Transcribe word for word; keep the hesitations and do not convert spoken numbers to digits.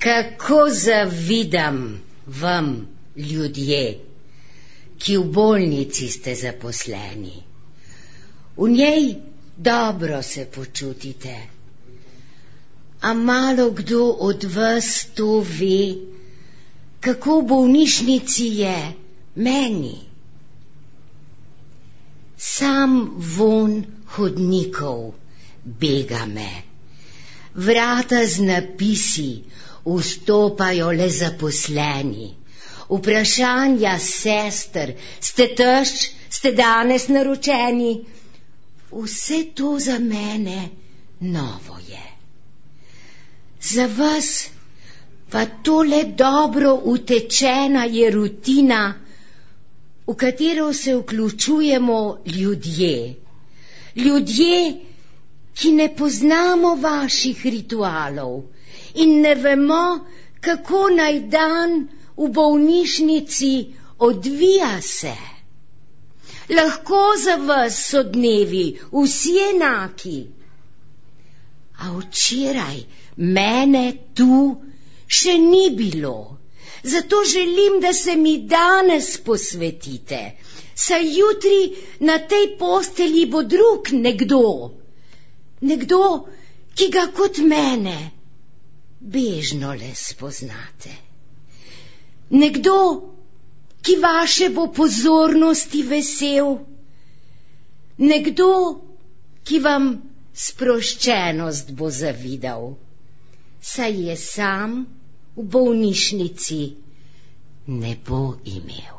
Kako zavidam vam, ljudje, ki v bolnici ste zaposleni. V njej dobro se počutite, a malo kdo od vas to ve, kako v bolnišnici je meni. Sam vonj hodnikov bega me, vrata z napisi vstopajo le zaposleni, vprašanja sester, ste tešč, ste danes naročeni, vse to za mene novo je. Za vas pa tole dobro utečena je rutina, v katero se vključujemo ljudje. Ljudje, ki ne poznamo vaših ritualov in ne vemo, kako naj dan v bolnišnici odvija se. Lahko za vas so dnevi vsi enaki, a včeraj mene tu še ni bilo. Zato želim, da se mi danes posvetite, saj jutri na tej postelji bo drug nekdo, nekdo, ki ga kot mene bežno le spoznate. Nekdo, ki vaše bo pozornosti vesel, nekdo, ki vam sproščenost bo zavidal, saj je sam v bolnišnici ne bo imel.